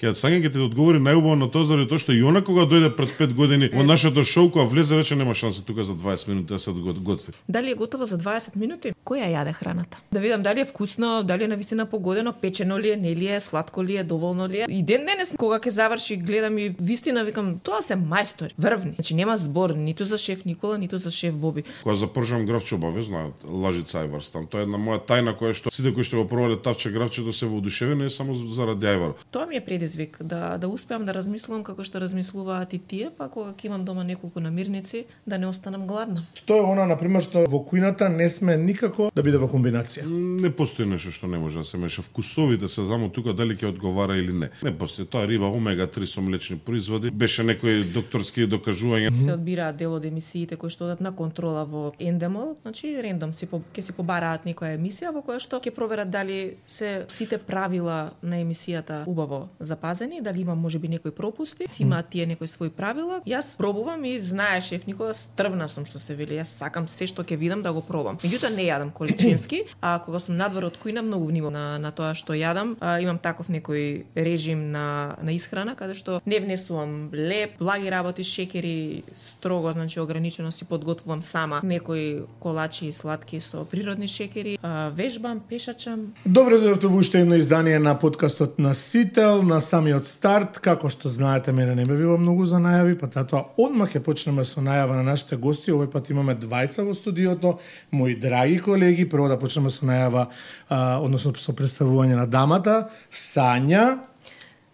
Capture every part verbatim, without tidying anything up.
Ќе Сања ќе ти одговори најубаво на тоа заради тоа што и она кога дојде пред пет години во нашето шоу, кога влезе рече нема шанса тука за дваесет минути да се готви. Дали е готово за дваесет минути? Која јаде храната? Да видам дали е вкусно, дали е навистина погодено, печено ли е, не ли е, сладко ли е, доволно ли е. И ден денес кога ќе заврши, гледам и вистина викам, тоа се мајстори, врвни. Значи нема збор ниту за шеф Никола, ниту за шеф Боби. Кога запржам гравче обавезно, Лажица Ајварс там. Тоа е една моја тајна која што сите кои што го пробале тавче гравчето се воодушевени само заради Ајвар. Тоа ми е предизвик да да успеам да размислувам како што размислуваат и тие, па кога ќе имам дома неколку намирници да не останам гладна. Што е она на пример што во кујната не сме никако да биде во комбинација? Не постои нешто што не може да се меша. Вкусовите се само тука дали ќе одговара или не. Не постои тоа риба омега три со млечни производи. Беше некои докторски докажувања. Се одбираат дел од емисиите кои што одат на контрола во Ендемол, значи рендом си по, ќе си побараат некоја емисија во која што ќе проверат дали се сите правила на емисијата убаво запазени, дали има можеби некои пропусти, си имаат тие некои свои правила. Јас пробувам и знае шеф Никола, стрвна сум што се вели. Јас сакам се што ќе видам да го пробам. Меѓутоа не јадам количински, а кога сум надвор од кујна многу внимавам на, на тоа што јадам. А, имам таков некој режим на на исхрана каде што не внесувам леп, благи работи, шекери, строго, значи ограничено си подготвувам сама некои колачи и сладки со природни шекери, а, вежбам, пешачам. Добре дојдовте во уште едно издание на подкастот на Сител, на самиот старт. Како што знаете, мене не ме било многу за најави, па затоа одмах ќе почнеме со најава на нашите гости. Овој пат имаме двајца во студиото, мои драги колеги. Прво да почнеме со најава, а, односно со представување на дамата, Сања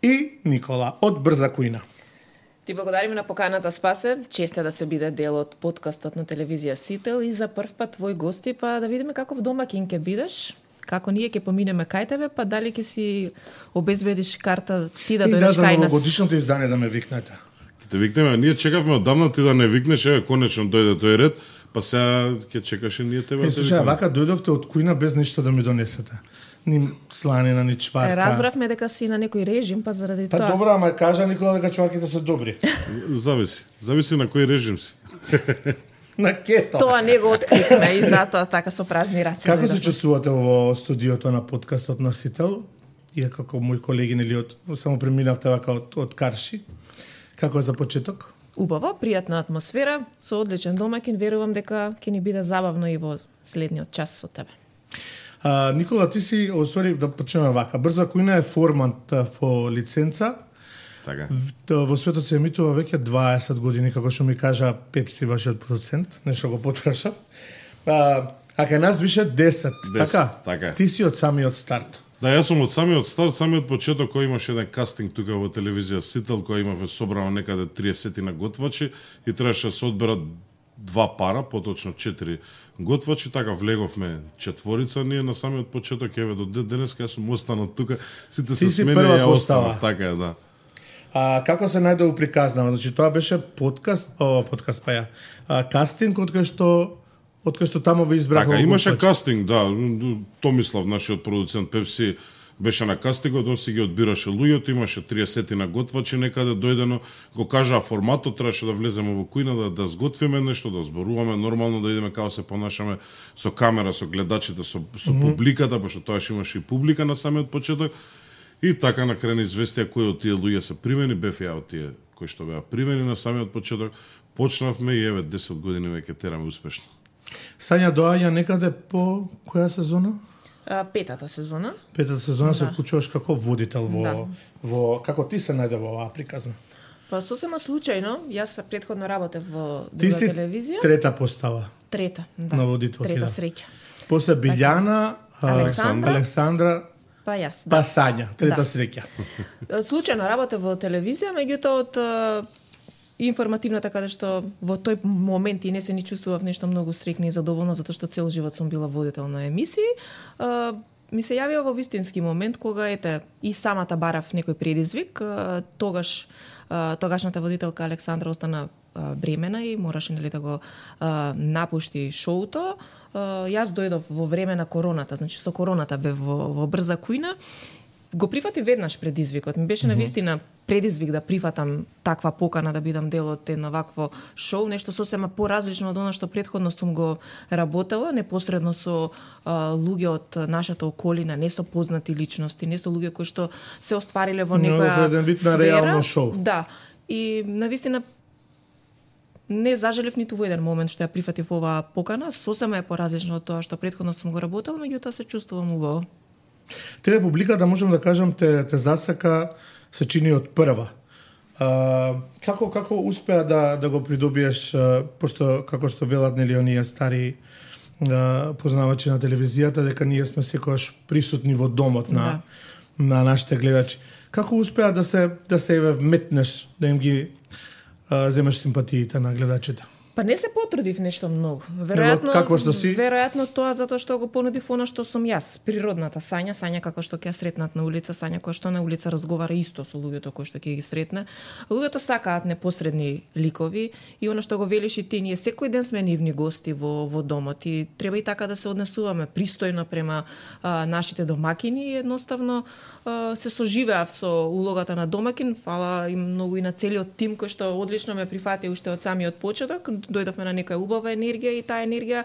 и Никола од Брза кујна. Ти благодариме на поканата, Спасе. Чест е да се биде дел од подкастот на телевизија Сител и за прв пат твои гости, па да видиме каков домакин ќе бидеш. Како ние ќе поминеме кај тебе, па дали ќе си обезбедиш карта ти да дојдеш кај нас. И да, за новогодишното издание да ме викнете. Ќе те викнеме, ние чекавме одамна ти да не викнеш, еве конечно дојде тој ред, па сега ќе чекаше ние тебе. Е, слушај, вака дојдовте од кујна без ништо да ми донесете. Ни сланина, ни чварка. Разбравме дека си на некој режим, па заради па тоа. Па добро, ама кажа Никола дека чварките се добри. Зависи, зависи на кој режим си. На кето. Тоа не го откривме и затоа така со празни раце. Како се чувствувате во студиото на подкастот на Сител? И како мои колеги нели од само преминавте вака од од Карши. Како е за почеток? Убаво, пријатна атмосфера, со одличен домакин, верувам дека ќе ни биде забавно и во следниот час со тебе. А, Никола, ти си, оствари да почнеме вака. Брза кујна е формат во лиценца. Така. Во светот се емитува веќе дваесет години, како што ми кажа Пепси, вашиот продуцент, нешто го потпрашав. А, а кај нас више десет, десет така? Така. Ти си од самиот старт. Да, јас сум од самиот старт, самиот почеток кој имаше еден кастинг тука во телевизија Сител, кој имаве собрано некаде триесет на готвачи и требаше да се одберат два пара, поточно четири готвачи, така влеговме четворица ние на самиот почеток, еве до денес кај сум останал тука, сите се смени и ја останав, така е, да. А како се најде приказнава? Значи тоа беше подкаст, о, подкаст па ја. А, кастинг од кај што од кај што таму ве избраха. Така, имаше готвачи. Кастинг, да, Томислав, нашиот продуцент Пепси, беше на кастингот, он си ги одбираше луѓето, имаше триесет на готвачи некаде дојдено, го кажаа форматот, требаше да влеземе во кујна, да, да сготвиме нешто, да зборуваме, нормално да идеме како се понашаме со камера, со гледачите, со, со mm -hmm. публиката, пошто тоаш имаше и публика на самиот почеток. И така на крај известија кои од тие луѓе се примени, бев ја од тие кои што беа примени на самиот почеток, почнавме и еве десет години веќе тераме успешно. Сања доаѓа некаде по која сезона? А, петата сезона. Петата сезона да. Се вклучуваш како водител во, да. во како ти се најде во оваа приказна? Па сосема случајно, јас предходно работев во друга телевизија. Ти си трета постава. Трета, да. На водителки. Трета да. среќа. После Билјана, Александра, Александра па јас. Да. Па Сања, трета да. Среќа. Случајно работев во телевизија, меѓутоа од информативната каде што во тој момент и не се ни чувствував нешто многу среќна и задоволна затоа што цел живот сум била водител на емисии. А, ми се јавија во вистински момент кога ете и самата барав некој предизвик, а, тогаш а, тогашната водителка Александра остана а, бремена и мораше нели да го а, напушти шоуто. А, јас дојдов во време на короната, значи со короната бев во, во Брза кујна. го прифати веднаш предизвикот. Ми беше навистина предизвик да прифатам таква покана да бидам дел од едно вакво шоу, нешто сосема поразлично од она што претходно сум го работела, непосредно со а, луѓе од нашата околина, не со познати личности, не со луѓе кои што се оствариле во некоја еден вид на реално шоу. Да. И навистина не зажелев ниту во еден момент што ја прифатив оваа покана, сосема е поразлично од тоа што претходно сум го работел, меѓутоа се чувствувам убаво. Тебе публиката, можам да кажам, те, те засака, се чини од прва. А, како како успеа да да го придобиеш, а, пошто како што велат нели оние стари а, познавачи на телевизијата, дека ние сме секогаш присутни во домот на да. на нашите гледачи. Како успеа да се да се еве вметнеш, да им ги а, земеш симпатиите на гледачите? Па не се потрудив нешто многу. Веројатно, како што си? Веројатно тоа затоа што го понудив она што сум јас, природната Сања, Сања како што ќе ја сретнат на улица, Сања која што на улица разговара исто со луѓето кои што ќе ги сретне. Луѓето сакаат непосредни ликови и она што го велиш и ти, ние секој ден сме нивни гости во во домот и треба и така да се однесуваме пристојно према а, нашите домакини и едноставно а, се соживеав со улогата на домакин, фала им многу и на целиот тим кој што одлично ме прифати уште од самиот почеток. Дојдовме на некоја убава енергија и таа енергија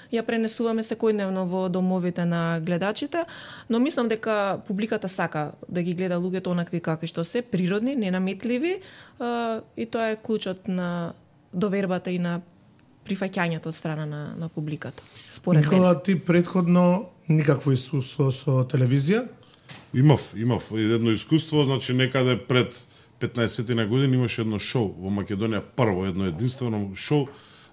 ја пренесуваме секојдневно во домовите на гледачите, но мислам дека публиката сака да ги гледа луѓето онакви какви што се, природни, ненаметливи, и тоа е клучот на довербата и на прифаќањето од страна на, на публиката. Според Никола, мен. ти претходно никакво искуство со телевизија? Имав, имав едно искуство, значи некаде пред петнаесет на години имаше едно шоу во Македонија, прво едно единствено шоу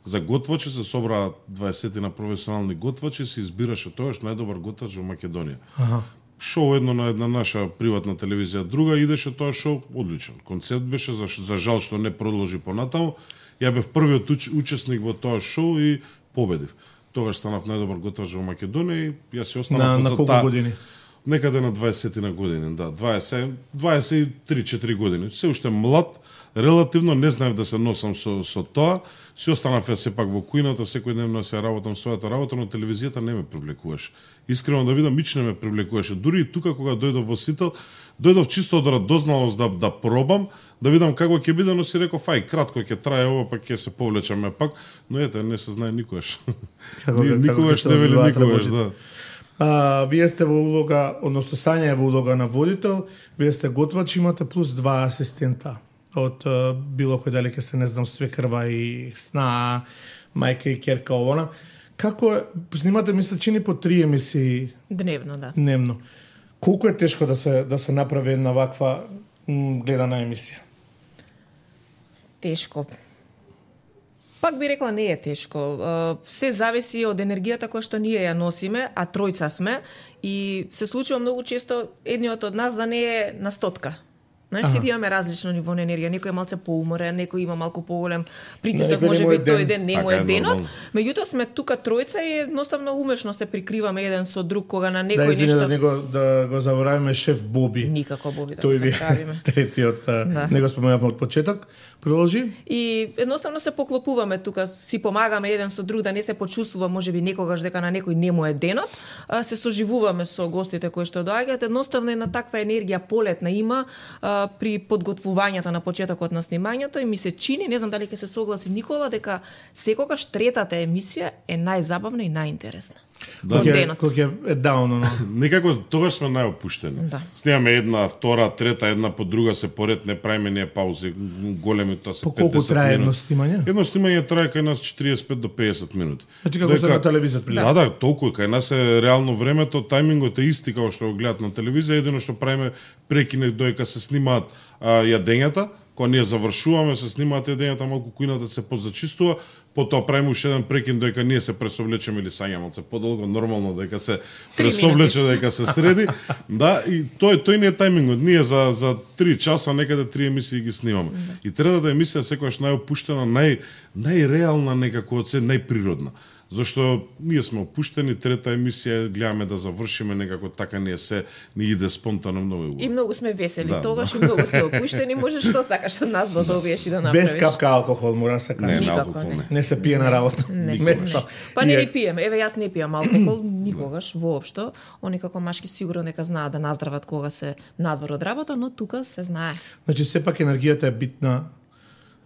за готвачи, се собраа дваесет на професионални готвачи, се избираше тоаш најдобар готвач во Македонија. Аха. Шоу едно на една наша приватна телевизија, друга идеше тоа шоу, одличен. Концепт беше, за, за жал што не продолжи понатаму. Ја бев првиот уч, учесник во тоа шоу и победив. Тогаш станав најдобар готвач во Македонија и јас си останав на, на колку та... години? Некаде на дваесет на години, да, дваесет, дваесет и три-четири години. Се уште млад, релативно не знаев да се носам со, со тоа. Си останав ја сепак во кујната, секој ден се работам својата работа, но телевизијата не ме привлекуваше. Искрено да видам, мич не ме привлекуваше. Дури и тука кога дојдов во Сител, дојдов чисто од радозналост да да пробам, да видам како ќе биде, но си реков, ај, кратко ќе трае ова, па ќе се повлечеме пак, но ете, не се знае никогаш. Никогаш не вели никогаш, да. А, вие сте во улога, односно Сања е во улога на водител, вие сте готвач, имате плюс два асистента од а, било кој дали ќе се, не знам, свекрва и сна, мајка и керка овона. Како е, снимате, мисля, чини по три емисии Дневно, да. Дневно. Колку е тешко да се да се направи една ваква м, гледана емисија? Тешко. Пак би рекла не е тешко. Се зависи од енергијата која што ние ја носиме, а тројца сме и се случува многу често едниот од нас да не е на стотка. Знаеш, сите имаме различно ниво на енергија. Некој е малце поуморен, некој има малку поголем притисок, може би тој ден не му е денот. Меѓутоа сме тука тројца и едноставно умешно се прикриваме еден со друг кога на некој да, извини, нешто. Да, него, да го заборавиме шеф Боби. Никако Боби да тој го забравиме. Третиот, да. Него споменавме од почеток. Продолжи. И едноставно се поклопуваме тука, си помагаме еден со друг да не се почувствува можеби некогаш дека на некој не му е денот, а се соживуваме со гостите кои што доаѓаат. Едноставно една таква енергија полетна има а, при подготвувањето на почетокот на снимањето и ми се чини, не знам дали ќе се согласи Никола, дека секогаш третата емисија е најзабавна и најинтересна. Да, кој е даун, но некако тогаш сме најопуштени. Да. Снимаме една, втора, трета, една по друга се поред, не правиме ние паузи големи, тоа се по колку трае едно минути. снимање? Едно снимање трае кај нас четириесет и пет до педесет минути. Значи како се на телевизија прилика. Да, да, толку кај нас е реално времето, тајмингот е исти како што го гледат на телевизија, едино што правиме прекине доека се снимаат а, јадењата, кога ние завршуваме, се снимаат јадењата, малку кујната се позачистува, потоа правиме уште еден прекин доека ние се пресовлечеме или Сања малце подолго, нормално дека се пресовлече, дека се среди. Да, и тој тој не е тајмингот. Ние за за три часа некаде три емисии ги снимаме. И третата емисија секогаш најопуштена, нај најреална некако од се, најприродна. Зашто ние сме опуштени, трета емисија, гледаме да завршиме некако така не е се, ни иде спонтано многу убаво. И многу сме весели, Да, тогаш да. и многу сме опуштени, може што сакаш од нас да добиеш и да направиш. Без капка алкохол, мора да се Не, каже. на Никако алкохол не. не. Не се пие на работа. Не, Место. не. Па не И е- ни пиеме. Еве јас не пијам алкохол никогаш воопшто. Они како машки сигурно нека знаат да наздрават кога се надвор од работа, но тука се знае. Значи сепак енергијата е битна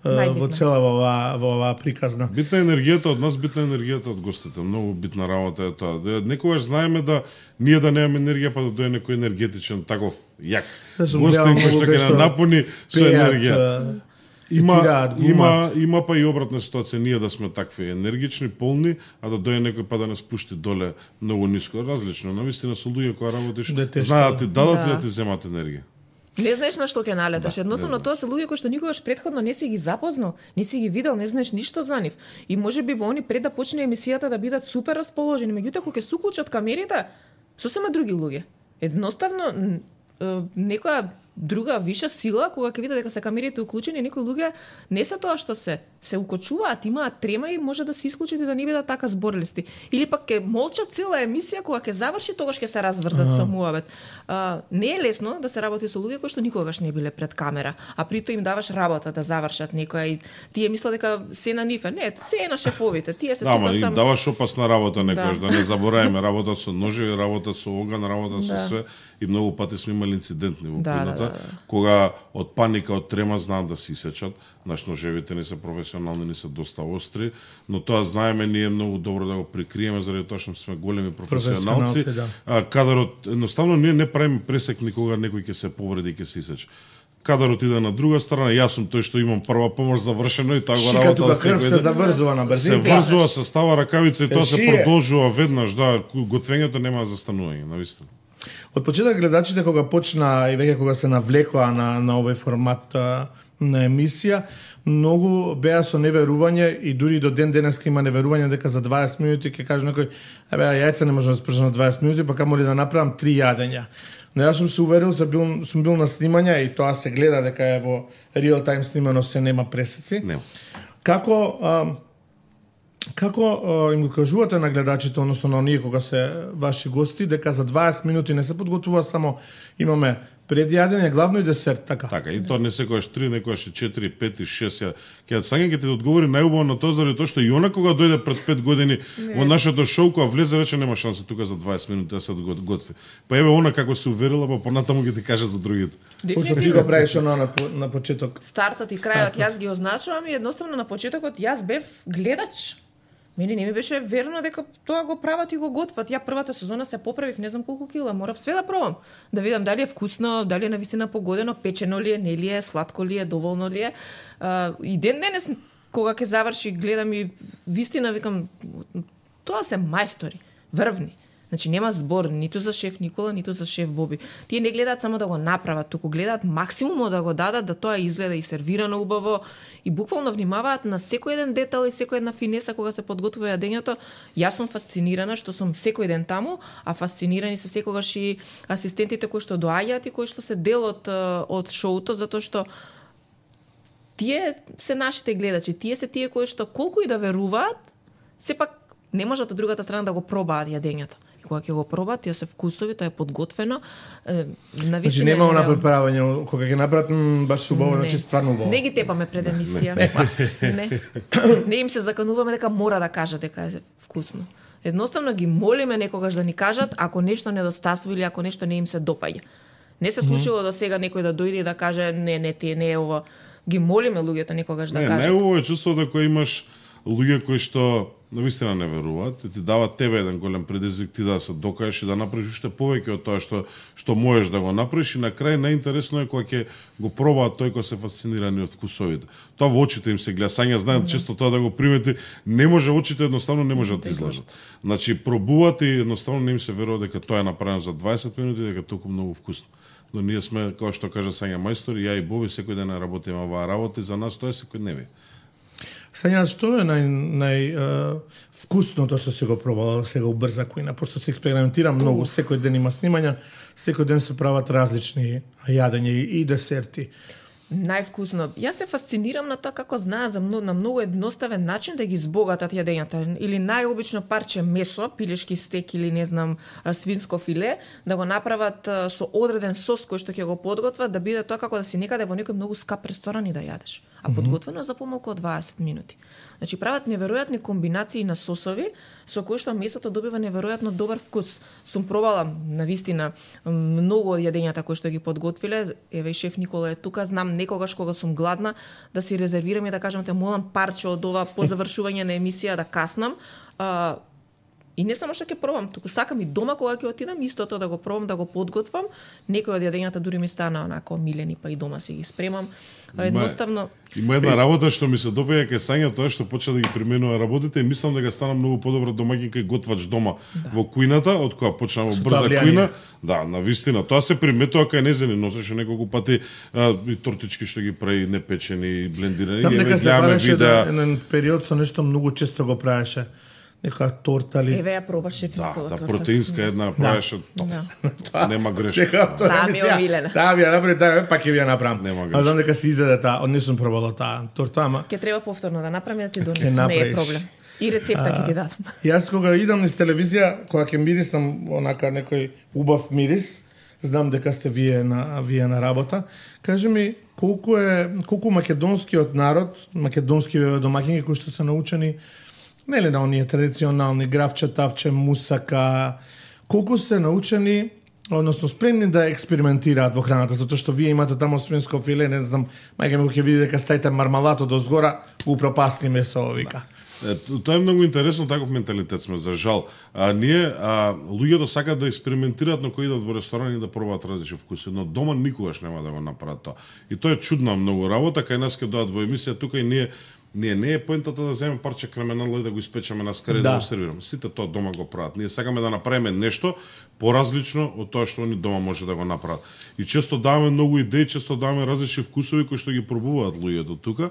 е, во Најбитна. цела во оваа во оваа приказна. Битна е енергијата од нас, битна е енергијата од гостите. Многу битна работа е тоа. Да, некогаш знаеме да ние да немаме енергија, па да дојде некој енергетичен таков јак Да сум гостин гледал кој што многу ќе кај што на напуни со пеат, енергија. е, Има, цитираат, има, глумат. има па и обратна ситуација, ние да сме такви енергични, полни, а да дојде некој па да не спушти доле многу ниско. Различно, навистина со луѓе кои работиш, Да е тешко, знаат да ти дадат да. и да ти земат енергија. Не знаеш на што ќе налеташ. Да, Едноставно не тоа се луѓе кои што никогаш претходно не си ги запознал, не си ги видел, не знаеш ништо за нив. И можеби они пред да почне емисијата да бидат супер расположени, меѓутоа кога ќе се уклучат камерите, сосема други луѓе. Едноставно н- е, некоја друга виша сила кога ќе види дека се камерите уклучени, некои луѓе не се тоа што се, се укочуваат, имаат трема и може да се исклучат и да не бидат така зборлисти. Или пак ќе молчат цела емисија, кога ќе заврши, тогаш ќе се разврзат со муабет. А, не е лесно да се работи со луѓе кои што никогаш не биле пред камера, а прито им даваш работа да завршат некоја и тие мислат дека се на нив е. Не, се е на шефовите. Тие се Да, ма тука им само даваш опасна работа некојаш, Да. да не забораеме, работа со ножеви, работа со оган, работа со Да. све. И многу пати сме имали инцидентни во Да, кујната, да, да, да. кога од паника, од трема знаат да се исечат. Наш ножевите не се професионални, не се доста остри, но тоа знаеме ние многу добро да го прикриеме заради тоа што сме големи професионалци. Професионалци, да. А, кадарот едноставно ние не правиме пресек никога некој ќе се повреди и ќе се исече. Кадарот иде на друга страна, јас сум тој што имам прва помош завршено и тоа го Шика работам тука крв се ден. заврзува на Се брзина. врзува, се става ракавица и Се тоа се шие. продолжува веднаш, да, готвењето нема застанување, навистина. Од почеток гледачите кога почна и веќе кога се навлекоа на на овој формат а, на емисија, многу беа со неверување и дури до ден денеска има неверување дека за дваесет минути ќе каже некој, абе јајца не може да спржам на дваесет минути, па камо ли да направам три јадења. Но јас сум се уверил, се бил, сум бил на снимање и тоа се гледа дека е во реал тайм снимано, се нема пресеци. Нема. Како а, како а, им го кажувате на гледачите, односно на оние кога се ваши гости, дека за дваесет минути не се подготвува само имаме предјадење, главно и десерт, така? Така, и тоа не секојаш три, некојаш и четири, пет и шест. Ја, ќе Сања ќе ти одговори најубаво на тоа заради тоа што и она кога дојде пред пет години во нашето шоу, кога влезе рече нема шанса тука за дваесет минути да се го- готви. Па еве она како се уверила, па понатаму ќе ти каже за другите. Пошто ти го правиш она на, по- на почеток. Стартот и крајот јас ги означувам и едноставно на почетокот јас бев гледач. Мене не ми беше верно дека тоа го прават и го готват. Ја првата сезона се поправив, не знам колку кила, морав све да пробам. Да видам дали е вкусно, дали е навистина погодено, печено ли е, не ли е, сладко ли е, доволно ли е. А, и ден денес кога ќе заврши, гледам и вистина викам тоа се мајстори, врвни. Значи нема збор ниту за шеф Никола, ниту за шеф Боби. Тие не гледаат само да го направат, туку гледаат максимумот да го дадат, да тоа изгледа и сервирано убаво и буквално внимаваат на секој еден детал и секој една финеса кога се подготвува јадењето. Јас сум фасцинирана што сум секој ден таму, а фасцинирани се секогаш и асистентите кои што доаѓаат и кои што се дел од од шоуто, затоа што тие се нашите гледачи, тие се тие кои што колку и да веруваат, сепак не можат од другата страна да го пробаат јадењето. И кога ќе го пробаат, тие се вкусови, тоа е подготвено. Е, Значи навистина нема е она нереално. преправање, кога ќе направат м, баш убаво, Не. значи стварно убаво. Не ги тепаме пред емисија. Не. Не им се закануваме дека мора да кажат дека е вкусно. Едноставно ги молиме некогаш да ни кажат ако нешто недостасува или ако нешто не им се допаѓа. Не се случило до сега некој да дојде и да каже не, не, ти не е ова. Ги молиме луѓето некогаш да Не, кажат. најубаво е чувството кога имаш луѓе кои што навистина не веруваат и ти дават тебе еден голем предизвик ти да се докажеш и да направиш уште повеќе од тоа што што можеш да го направиш и на крај најинтересно е кога ќе го пробаат тој кој се фасцинирани од вкусовите. Тоа во очите им се гледа. Сања знаат често тоа да го примети, не може очите едноставно не може да излажат. Значи пробуваат и едноставно не им се верува дека тоа е направено за дваесет минути дека е толку многу вкусно. Но ние сме, како што кажа Сања мајстори, ја и Боби секој ден работиме оваа работа и за нас тоа е секојдневие. Сања, што е нај, нај е, вкусното што се го пробала сега убрза кујна, пошто се експериментира многу, секој ден има снимања, секој ден се прават различни јадења и, и десерти. Највкусно. Јас се фасцинирам на тоа како знаат за многу, на многу едноставен начин да ги збогатат јадењата. Или најобично парче месо, пилешки стек или не знам свинско филе, да го направат со одреден сос кој што ќе го подготват, да биде тоа како да си некаде во некој многу скап ресторан и да јадеш. А подготвено за помалку од дваесет минути. Значи прават неверојатни комбинации на сосови со кои што месото добива неверојатно добар вкус. Сум пробала навистина многу од јадењата кои што ги подготвиле. Еве шеф Никола е тука, знам некогаш кога сум гладна да си резервирам и да кажам те молам парче од ова по завршување на емисија да каснам. А, И не само што ќе пробам, туку сакам и дома кога ќе отидам истото да го пробам, да го подготвам. Некои од јадењата дури ми стана онако милени, па и дома си ги спремам. Едноставно Има една работа што ми се допаѓа кај Сања, тоа што почна да ги применува работите и мислам дека стана многу подобра домаќинка и готвач дома да. Во кујната, од која почна во брза кујна. Да, навистина, тоа се приметува кај незени, носеше неколку пати а, и тортички што ги прави непечени, блендирани. Знам дека се бараше да еден период со нешто многу често го правеше. Нека торта ли? Еве ја пробаше да, Никола да, торта. протеинска една правеше, да. Нема грешка. Таа ми е омилена. Таа ми ја направи, таа пак ќе ви ја направам. Нема грешка. А знам дека се изеде таа, од не сум пробала таа торта, ама Ќе треба повторно да направам да ти донесам, не е проблем. И рецепта ќе ти дадам. Јас кога идам низ телевизија, кога ќе мирисам онака некој убав мирис, знам дека сте вие на вие на работа. Кажи ми колку е колку македонскиот народ, македонски домаќини кои што се научени нели на оние традиционални гравче, тавче, мусака, колку се научени, односно спремни да експериментираат во храната, затоа што вие имате таму свинско филе, не знам, мајка ми ќе види дека ставите мармалато до згора, го пропасти месо, вика. Е, тоа е многу интересно, таков менталитет сме за жал. А ние а, луѓето сакаат да експериментираат, но кои идат во ресторан и да пробаат различни вкуси, но дома никогаш нема да го направат тоа. И тоа е чудна многу работа, кај нас ќе доаат во емисија тука и ние Ние не е поентата да земеме парче кременала и да го испечеме на скаре да. да го сервираме. Сите тоа дома го прават. Ние сакаме да направиме нешто поразлично од тоа што они дома може да го направат. И често даваме многу идеи, често даваме различни вкусови кои што ги пробуваат луѓето тука.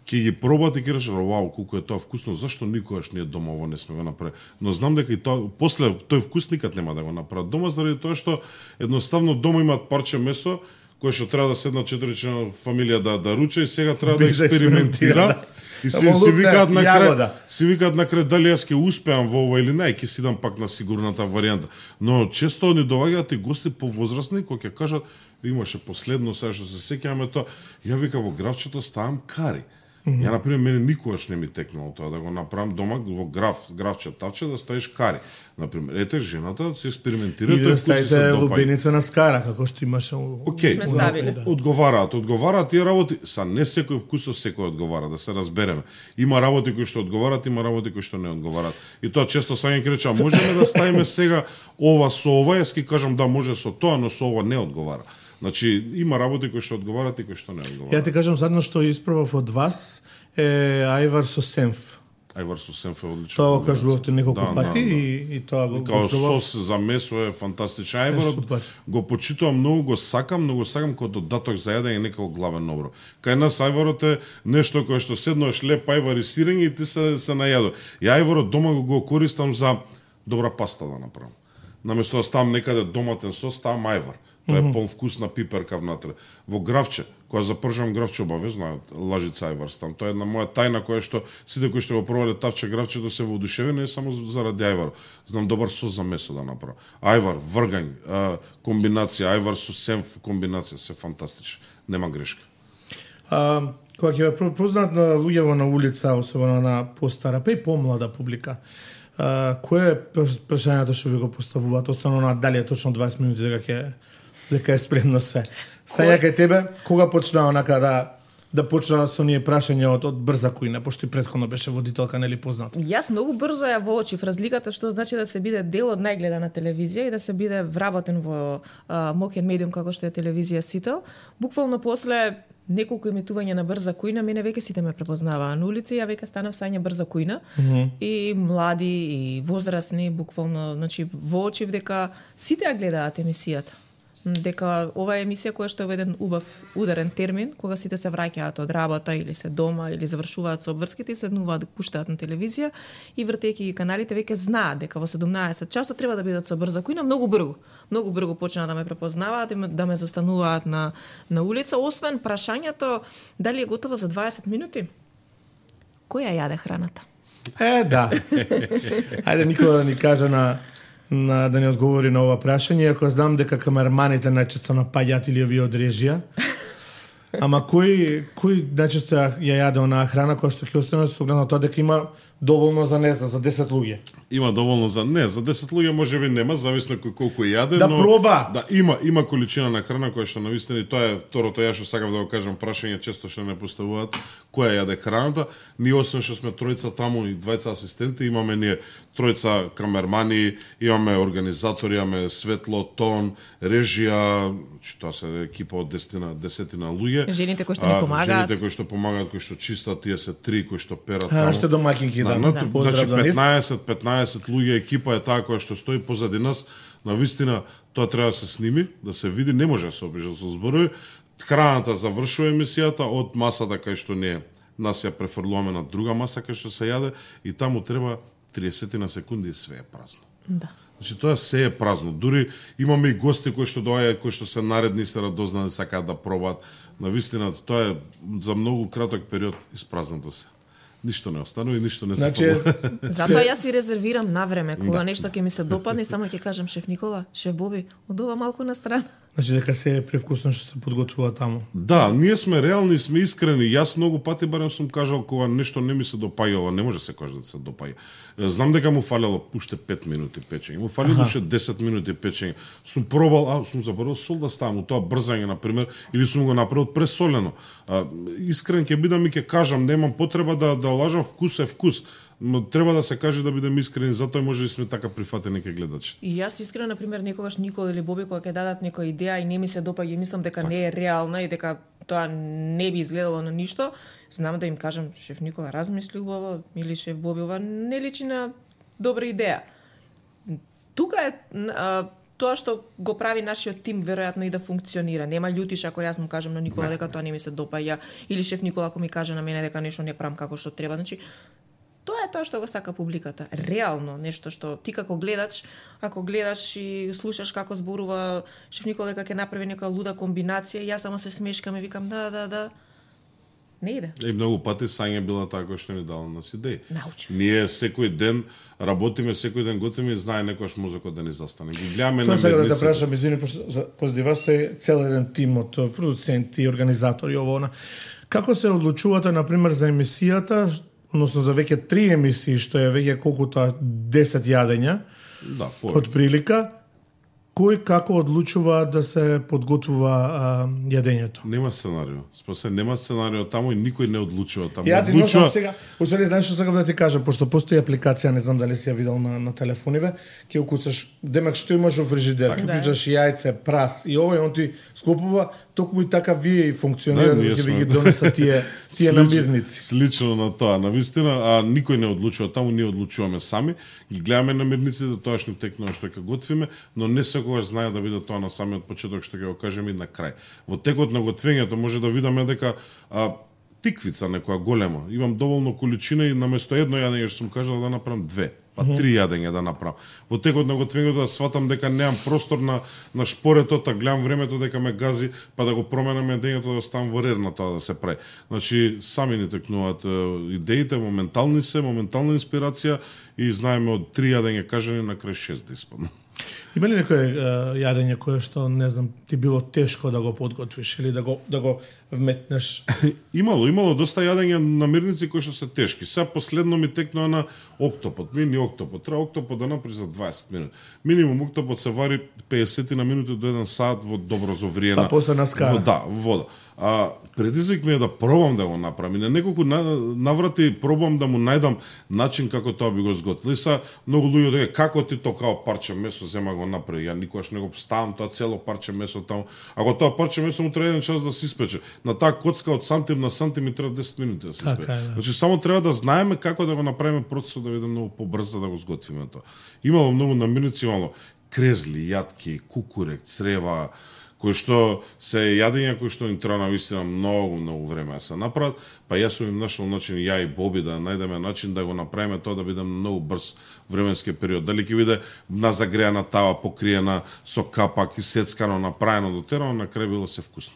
Ќе ги пробат и ќе речат, вау, колку е тоа вкусно, зашто никогаш ние дома ово не сме го направи. Но знам дека и тоа после тој вкус никад нема да го направат дома заради тоа што едноставно дома имаат парче месо кој што треба да седнат четири члена фамилија да да руча и сега треба да експериментира. И си, си викаат на крај, си викаат на крај дали јас ќе успеам во ова или не, ќе си дам пак на сигурната варијанта. Но често ни доаѓаат и гости повозрасни кои ќе кажат имаше последно сега што се сеќаваме тоа, ја вика во гравчето ставам кари. Mm -hmm. Ја например мене никогаш не ми текнало тоа да го направам дома во граф, гравче, тавче да ставиш кари. Например, ете жената се експериментира и да ставите лубеница на скара како што имаше. Окей, okay. одговараат, одговараат тие работи, са не секој вкусов секој одговара, да се разбереме. Има работи кои што одговараат, има работи кои што не одговараат. И тоа често Сања ќе рече, можеме да ставиме сега ова со ова, јас ќе кажам да може со тоа, но со ова не одговара. Значи, има работи кои што одговарат и кои што не одговарат. Ја ти кажам задно што испробав од вас е ајвар со сенф. Ајвар со сенф е одлично. Тоа го кажувавте неколку да, пати да, да. и, и тоа го Као пробав. сос за месо е фантастичен. Ајварот го почитувам многу, го сакам, многу сакам како додаток за јадење некако главен оброк. Кај нас ајварот е нешто кое што седнуваш леп ајвар и сирење и ти се се најадо. И ајварот дома го, го користам за добра паста да направам. Наместо да ставам некаде доматен сос, ставам ајвар. Тоа е полвкусна пиперка внатре. Во гравче, кога запржам гравче обавезно, лажица ајвар стам. Тоа е една моја тајна која што сите кои што го пробале тавче гравчето се воодушевени не само заради ајвар. Знам добар сос за месо да направам. Ајвар, вргањ, комбинација, ајвар со сенф комбинација, се фантастично. Нема грешка. А, кога ќе ве познаат на луѓето на улица, особено на постара, па и помлада публика, а, кое е прашањето што ви го поставуваат, остану на дали е точно дваесет минути дека ќе дека е спремно све. Сања кај тебе, кога почна онака да да почна со ние прашања од, од брза кујна, пошто и претходно беше водителка, нели познат? Јас многу брзо ја воочив разликата што значи да се биде дел од најгледана телевизија и да се биде вработен во а, мокен медиум како што е телевизија Сител. Буквално после неколку емитувања на брза кујна, мене веќе сите ме препознаваа на улица, ја веќе станав Сања брза кујна. Mm -hmm. И млади и возрастни, буквално, значи воочив дека сите ја гледаат емисијата. дека ова е емисија која што е еден убав ударен термин, кога сите се враќаат од работа или се дома или завршуваат со обврските и седнуваат да пуштаат на телевизија и вртејќи ги каналите веќе знаат дека во седумнаесет часот треба да бидат со брза коина многу брзо. Многу брзо почнаа да ме препознаваат и да ме застануваат на на улица, освен прашањето дали е готово за дваесет минути. Која јаде храната? Е, да. Ајде Никола да ни каже на на да ни одговори на ова прашање, ако знам дека камерманите најчесто напаѓаат или овие од режија. Ама кој кој најчесто ја јаде онаа храна која што ќе остане со оглед на тоа дека има доволно за не знам, за десет луѓе. Има доволно за не, за десет луѓе можеби нема, зависно кој колку јаде, да но проба. Да има има количина на храна која што навистина и тоа е второто ја што сакав да го кажам, прашање често што не поставуваат која јаде храната. Ние освен што сме тројца таму и двајца асистенти, имаме ние тројца камермани, имаме организатори, имаме светло, тон, режија, че тоа се екипа од десетина десетина луѓе. Жените кои што ни помагаат. Жените кои што помагаат, кои што чистат, тие се три кои што перат таму. Нашите домаќинки, да. Да, да. Значи петнаесет петнаесет луѓе екипа е таа која што стои позади нас. На вистина тоа треба да се сними, да се види, не може да се опише со зборови. Храната завршува емисијата од масата кај што не нас ја префрлуваме на друга маса кај што се јаде и таму треба триесет на секунди и све е празно. Да. Значи тоа се е празно. Дури имаме и гости кои што доаѓаат, кои што се наредни, се радознани, сакаат да пробаат. На вистина тоа е за многу краток период испразнато се. Ништо не останува и ништо не се значи, фалува. Затоа јас си резервирам на време, кога да. нешто ќе ми се допадне, само ќе кажам шеф Никола, шеф Боби, од ова малку на страна. Значи дека се е превкусно што се подготвува таму. Да, ние сме реални, сме искрени. Јас многу пати барем сум кажал кога нешто не ми се допаѓало, не може се каже да се допаѓа. Знам дека му фалело уште пет минути печење, му фалело уште десет минути печење. Сум пробал, а сум заборал сол да ставам, тоа брзање на пример, или сум го направил пресолено. А, искрен ќе бидам и ќе кажам, немам потреба да да лажам, вкус е вкус. Но треба да се каже да бидеме искрени, затоа може да сме така прифатени кај гледачите. И јас искрено, на пример, некогаш Никола или Боби кога ќе дадат некоја идеја и не ми се допаѓа и мислам дека так. не е реална и дека тоа не би изгледало на ништо, знам да им кажам, шеф Никола, размисли убаво, или шеф Боби, ова не личи на добра идеја. Тука е а, тоа што го прави нашиот тим веројатно и да функционира. Нема љутиш ако јас му кажам на Никола дека тоа не ми се допаѓа, или шеф Никола ако ми каже на мене дека нешто не правам како што треба. Значи, тоа е тоа што го сака публиката. Реално, нешто што ти како гледач, ако гледаш и слушаш како зборува шеф Никола дека ќе направи нека луда комбинација, јас само се смешкам и викам да, да, да. Не иде. И многу пати Сања била таа која што ни дала нас идеи. Научи. Ние секој ден работиме, секој ден готвиме и знае некојаш мозокот да ни застане. Ги гледаме на медниците. Тоа сега да те прашам, извини, позади вас е цел еден тим од продуценти, организатори, ово она. Како се одлучувате, например, за емисијата, односно за веќе три емисии, што е веќе колку тоа десет јадења, да, од прилика, кој како одлучува да се подготвува а, јадењето? Нема сценарио. Спосе нема сценарио таму и никој не одлучува таму. Ја ти одлучува... сега, усвари знаеш што сакам да ти кажам, пошто постои апликација, не знам дали си ја видел на, на телефониве, ќе укуцаш, демек што имаш во фрижидер, ќе укуцаш јајце, прас и овој, он ти склопува, токму и така вие и функционира, да, ќе ви ги донеса тие тие намирници. Слично на тоа, навистина, а никој не одлучува таму, ние одлучуваме сами, ги гледаме намирниците, тоашни текнува што ќе готвиме, но не секогаш знае да биде тоа на самиот почеток што ќе го кажеме и на крај. Во текот на готвењето може да видиме дека а, тиквица некоја голема, имам доволно количина и наместо едно јадење што сум кажал да направам две, па три јадења да направам. Во текот на готвењето да сватам дека немам простор на на шпоретот, а гледам времето дека ме гази, па да го променам јадењето да ставам во ред на тоа да се прави. Значи сами ни текнуваат идеите, моментални се, моментална инспирација и знаеме од три јадења кажани на крај шест да испадне. Има ли некој јадење кое што не знам ти било тешко да го подготвиш или да го да го вметнеш? Имало, имало доста јадења намирници кои што се тешки. Сега последно ми текнува на октопот, мини октопот. Треба октопот да направи за дваесет минути. Минимум октопот се вари педесет на минути до еден сат во добро зовриена. Па после на скара. Да, вода. А предизвик ми е да пробам да го направам. И на неколку наврати пробам да му најдам начин како тоа би го сготвил. И са многу луѓе дека како ти тоа као парче месо зема го направи. Ја никогаш не го ставам тоа цело парче месо таму. Ако тоа парче месо му треба еден час да се испече. На таа коцка од сантим на сантим ми треба десет минути да се испече. Да. Значи само треба да знаеме како да го направиме процесот да биде многу побрзо да го сготвиме тоа. Имало многу намирници, имало крезли, јатки, кукурек, црева, кои што се јадења кои што им треба навистина многу, многу време да се направат, па јас сум им нашол начин, ја и Боби, да најдеме начин да го направиме тоа да биде многу брз временски период. Дали ќе биде на загреана тава, покриена со капак и сецкано, направено, дотерано, на крај било се вкусно.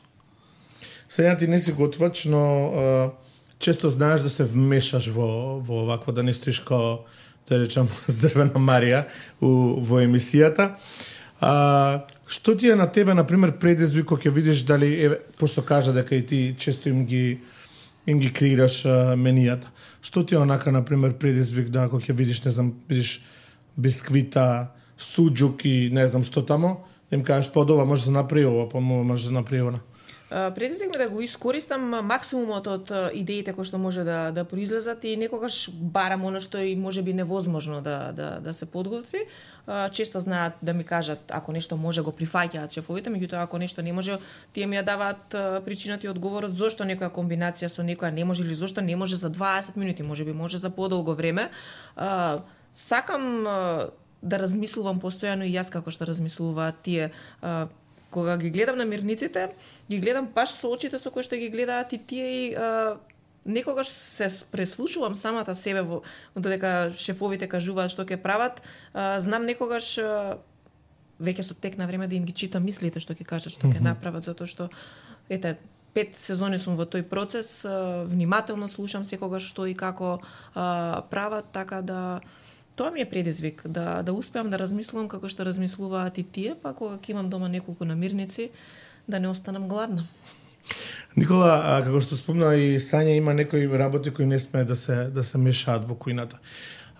Сега ти не си готвач, но а, често знаеш да се вмешаш во, во овакво, да не стоиш као, да речам, здрвена Марија у, во емисијата. А, што ти е на тебе, например, предизвик кога ќе видиш дали, е, пошто кажа дека и ти често им ги, им ги креираш а, менијата. Што ти е онака, например, предизвик да кога ќе видиш, не знам, видиш бисквита, суџук и не знам што тамо, им кажеш, па ова може да направи ова, па може да направи она. Предизвик ми да го искористам максимумот од идеите кои што може да да произлезат и некогаш барам оно што и можеби невозможно да да да се подготви. Често знаат да ми кажат ако нешто може го прифаќаат шефовите, меѓутоа ако нешто не може, тие ми ја даваат причината и одговорот зошто некоја комбинација со некоја не може или зошто не може за дваесет минути, можеби може за подолго време. Сакам да размислувам постојано и јас како што размислуваат тие. Кога ги гледам намирниците, ги гледам баш со очите со кои што ги гледаат и тие и а, некогаш се преслушувам самата себе во додека шефовите кажуваат што ќе прават, а, знам некогаш а, веќе со тек на време да им ги читам мислите што ќе кажат, што ќе направат, затоа што ете пет сезони сум во тој процес, а, внимателно слушам секогаш што и како а, прават, така да тоа ми е предизвик, да, да успеам да размислувам како што размислуваат и тие, па кога ќе имам дома неколку намирници, да не останам гладна. Никола, а, како што спомна и Сања, има некои работи кои не сме да се да се мешаат во кујната.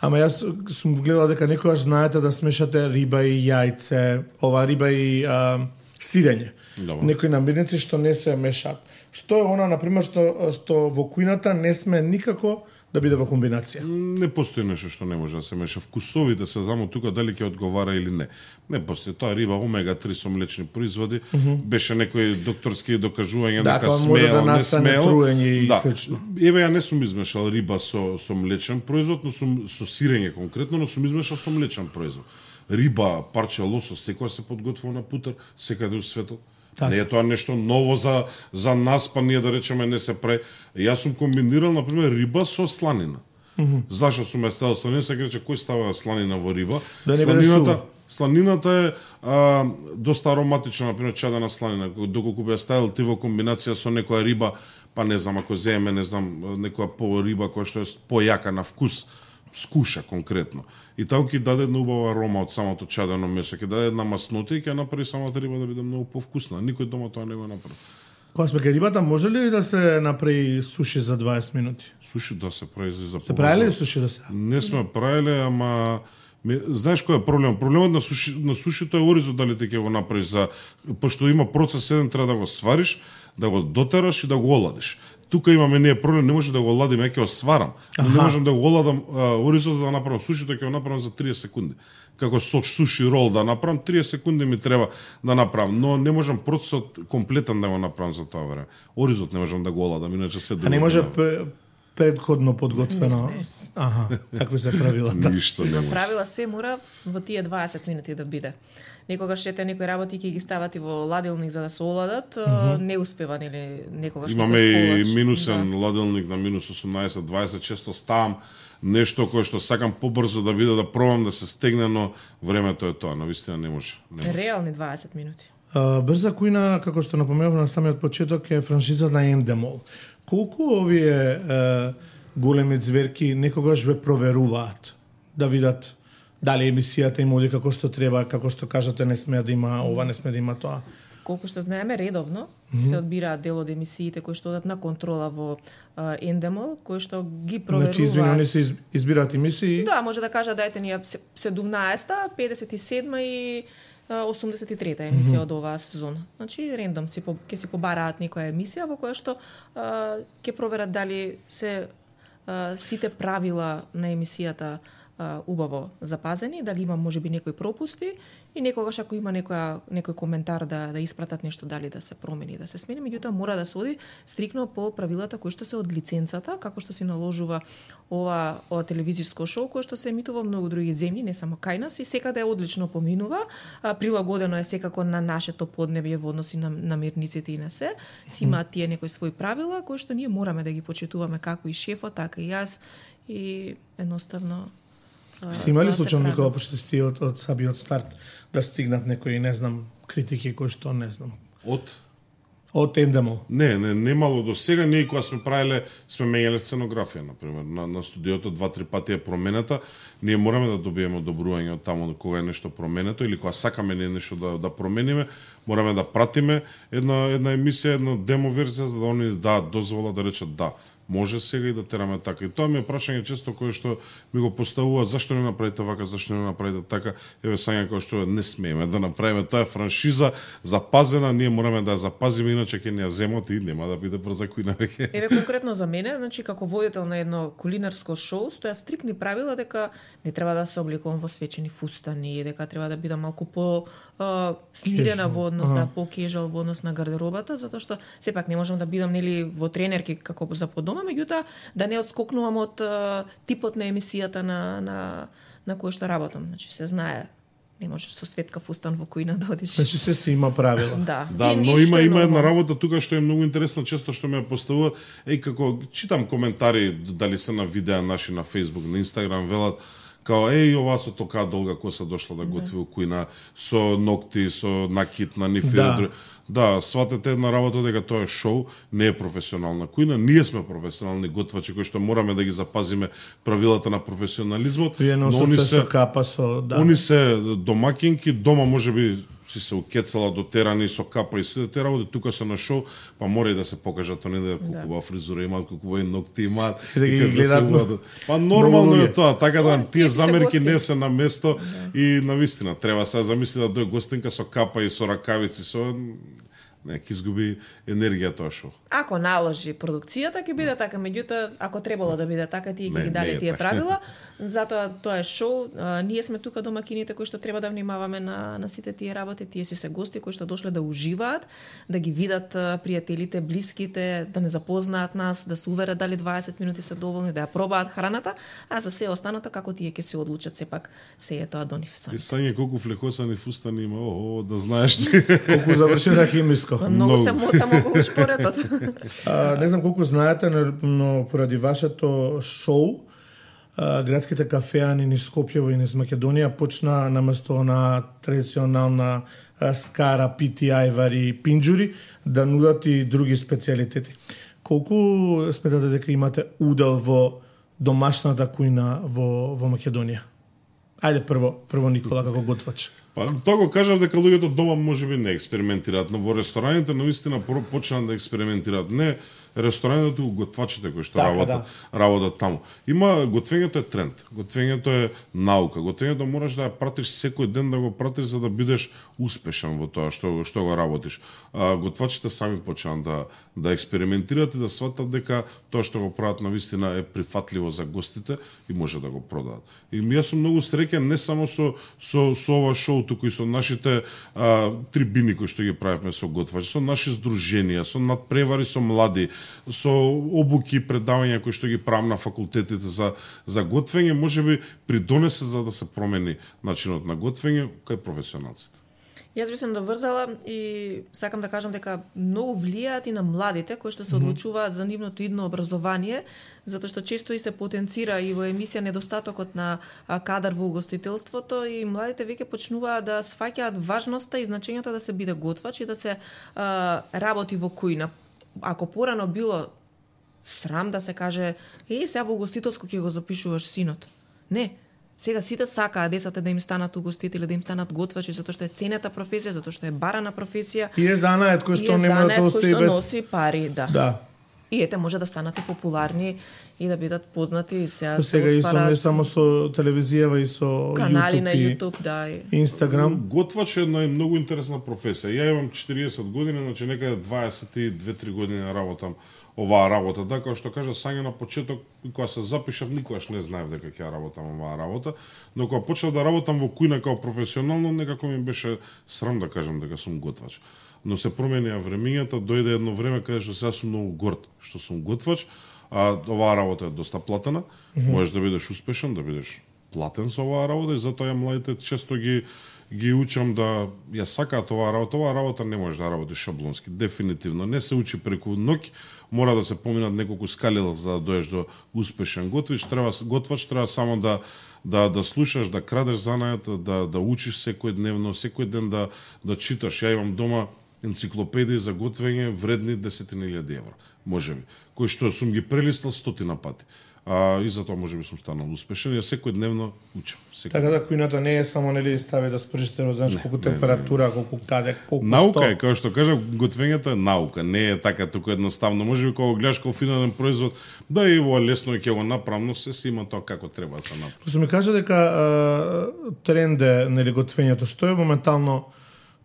Ама јас сум гледала дека некогаш знаете да смешате риба и јајце, ова риба и а, сирење. Добро. Некои намирници што не се мешаат. Што е она, например, што што во кујната не сме никако да биде во комбинација? Не постои нешто што не може да се меша. Вкусовите се знамо тука дали ќе одговара или не. Не постои тоа риба омега три со млечни производи. Mm -hmm. Беше некои докторски докажувања да, дека смеел, може да не смеел. Труење и да. слично. Еве ја не сум измешал риба со со млечен производ, но сум со сирење конкретно, но сум измешал со млечен производ. Риба, парче лосос, секоја се подготвува на путер, секаде у светот. Так. Не е тоа нешто ново за за нас, па ние да речеме не се прави. Јас сум комбинирал на пример риба со сланина. Mm -hmm. Зашо сум ја ставил сланина, се рече кој става сланина во риба? Да сланината, сланината е а, доста ароматична, на пример чадена сланина. Доколку би ја ставил ти во комбинација со некоја риба, па не знам, ако земеме, не знам, некоја по риба која што е појака на вкус, скуша конкретно. И таму ќе даде една убава арома од самото чадено месо, ќе даде една маснота и ќе направи самата риба да биде многу повкусна. Никој дома тоа не го направи. Кога сме кај рибата, може ли да се направи суши за дваесет минути? Суши да се прави за Се правиле ли суши да се? Не сме правиле, ама ме, знаеш кој е проблем? Проблемот на суши на сушито е оризот дали те ќе го направи за пошто има процес еден, треба да го свариш, да го дотераш и да го оладиш. Тука имаме ние проблем, не може да го оладим, ја ќе го сварам, но не можам да го оладам оризот да направам сушито, ќе го направам за триесет секунди. Како со суши рол да направам, триесет секунди ми треба да направам, но не можам процесот комплетен да го направам за тоа време. Оризот не можам да го оладам, иначе се А не може предходно подготвено. Аха, такви се правила. Ништо не може. Правила се мора во тие дваесет минути да биде. Некогаш ете некои работи ќе ги стават и во ладилник за да се оладат, mm -hmm. не успева нели некогаш. Имаме и минусен да. ладилник на минус осумнаесет дваесет, често ставам нешто кое што сакам побрзо да биде да пробам да се стегне, но времето е тоа, навистина не може. Не може. Реални дваесет минути. Uh, брза кујна, како што напоменав на самиот почеток, е франшиза на Endemol. Колку овие uh, големи зверки некогаш ве проверуваат да видат дали емисијата им оди како што треба, како што кажате, не сме да има ова, не сме да има тоа? Колку што знаеме, редовно mm -hmm. се одбираат дел од емисиите кои што одат на контрола во uh, Endemol, кои што ги проверуваат. Значи, извини, они се избираат емисии? Да, може да кажа дајте ни седумнаесета, педесет и седма и осумдесет и трета емисија mm -hmm. од оваа сезона. Значи, рендом си ќе си побараат некоја емисија во која што uh, ќе проверат дали се uh, сите правила на емисијата а, убаво запазени, дали има можеби некои пропусти и некогаш ако има некоја некој коментар да да испратат нешто, дали да се промени, да се смени, меѓутоа мора да се оди стрикно по правилата кои што се од лиценцата, како што се наложува ова ова телевизиско шоу кој што се емитува во многу други земји, не само кај нас, и секаде одлично поминува, а, прилагодено е секако на нашето поднебје во односи на, на мирниците и на се. Си имаат тие некои свои правила кои што ние мораме да ги почитуваме, како и шефот, така и јас, и едноставно Си имали случај Никола почести од од самиот старт да стигнат некои, не знам, критики кои што не знам. Од Од Ендемол. Не, не, немало до сега. Ние кога сме правиле, сме менјале сценографија, например, на, на студиото два-три пати е променета. Ние мораме да добиеме одобрување од таму кога е нешто променето или кога сакаме ние нешто да да промениме, мораме да пратиме една една емисија, една демо верзија за да они да дозвола да речат да. Може сега и да тераме така. И тоа ми е прашање често кое што ми го поставуваат, зашто не направите вака, зашто не направите така. Еве сања кој што не смееме да направиме, тоа е франшиза запазена, ние мораме да ја запазиме, иначе ќе ни ја земат и нема да биде брза кујна веќе. Еве конкретно за мене, значи како водител на едно кулинарско шоу, стоја стрикни правила дека не треба да се обликувам во свечени фустани, дека треба да бидам малку по Uh, смирена во однос на по-кежал во однос на гардеробата, затоа што сепак не можам да бидам нели во тренерки како за по дома, меѓутоа да не отскокнувам од uh, типот на емисијата на на на кој што работам. Значи се знае, не можеш со светка фустан во кујна да одиш. Значи се си има правила. Да, да, но има има една работа тука што е многу интересна, често што ме поставуваат, еј како читам коментари дали се на видеа наши на Facebook, на Instagram, велат као, еј, ова со тока долга коса дошла да готви у кујна, со ногти, со накит на ниф. Да, да, сватете една работа дека тоа е шоу, не е професионална кујна. Ние сме професионални готвачи кои што мораме да ги запазиме правилата на професионализмот. Вие носите со капа, со... Да. Они се домакинки, дома можеби си се укецала до терани со капа и се те работи, тука се на шоу, па мора и да се покажат они да кукува фризура имаат, кукува и ногти имаат, и да ги гледат. Па нормално е тоа, така да тие замерки не се на место и навистина треба се замисли да дојде гостинка со капа и со ракавици, со не, ќе изгуби енергија тоа шоу. Ако наложи продукцијата ќе биде така, меѓутоа ако требало да биде така, тие ќе ги даде тие правила. Затоа тоа е шоу. А, ние сме тука домакините кои што треба да внимаваме на на сите тие работи, тие си се гости кои што дошле да уживаат, да ги видат пријателите, блиските, да не запознаат нас, да се уверат дали дваесет минути се доволни, да ја пробаат храната, а за се останато како тие ќе се одлучат, сепак се е тоа до нив сами. И сање колку флекосани фустани има, о, да знаеш колку завршена химиско. Многу се мотам околу шпоретот. А, не знам колку знаете, но поради вашето шоу, а, градските кафеани низ Скопје и низ Македонија почна наместо на традиционална а, скара, пити, ајвари и пинџури да нудат и други специјалитети. Колку сметате дека имате удел во домашната кујна во во Македонија? Ајде прво, прво Никола како готвач. Па тоа го кажав дека луѓето дома можеби не експериментираат, но во рестораните наистина почнаа да експериментираат. Не рестораните, туку готвачите кои што така, работат, да. работат таму. Има готвењето е тренд, готвењето е наука, готвењето мораш да ја пратиш секој ден, да го пратиш за да бидеш успешен во тоа што што го работиш. А, готвачите сами почнаа да да експериментираат и да сватат дека тоа што го прават навистина е прифатливо за гостите и може да го продаат. И јас сум многу среќен не само со со со ова шоу, туку и со нашите а, трибини кои што ги правевме со готвачи, со наши здруженија, со надпревари со млади, со обуки, предавања кои што ги правам на факултетите за за готвење, можеби придонесе за да се промени начинот на готвење кај професионалците. Јас би се доврзала и сакам да кажам дека многу влијаат и на младите кои што се одлучуваат за нивното идно образование, затоа што често и се потенцира и во емисија недостатокот на кадар во угостителството и младите веќе почнуваат да сфаќаат важноста и значењето да се биде готвач и да се а, работи во кујна. Ако порано било срам да се каже, е, сега во угостителско ќе го запишуваш синот. Не. Сега сите сакаат децата да им станат угостители, да им станат готвачи, затоа што е ценета професија, затоа што е барана професија. И е занает кој што нема да остави без... кој што носи пари, да. Да. И ете може да станат и популарни и да бидат познати. Сега, сега и со не само со телевизија, и со канали YouTube на YouTube, да. И... Instagram. Готвач е една многу интересна професија. Ја имам четириесет години, значи некаде дваесет и две-три години работам оваа работа. Да, како што кажа Сања на почеток, кога се запишав, никогаш не знаев дека ќе работам оваа работа, но кога почнав да работам во кујна како професионално, некако ми беше срам да кажам дека сум готвач. Но се променија времињата, дојде едно време каде што сега сум многу горд што сум готвач, а оваа работа е доста платена, mm -hmm. можеш да бидеш успешен, да бидеш платен со оваа работа и затоа ја младите често ги ги учам да ја сакаат оваа работа. Оваа работа не може да работи шаблонски, дефинитивно. Не се учи преку ноќ, мора да се поминат неколку скалила за да доеш до успешен готвач. Треба готвач треба само да да да слушаш, да крадеш занајот, да да учиш секојдневно, секој ден да да читаш. Ја имам дома енциклопедии за готвење вредни десетина илјади евра, можеби, кои што сум ги прелистал стотина пати. А и затоа можеби сум станал успешен, ја секојдневно учам. Секој... Така да кујната не е само нели стави да спржите, да знаеш колку температура, колку каде, колку наука што. Е, како што кажав, готвењето е наука, не е така туку едноставно. Можеби кога го гледаш како финален производ, да и во лесно ќе го направам, но се си има тоа како треба да се направи. Што ми кажа дека а, тренд е нели готвењето, што е моментално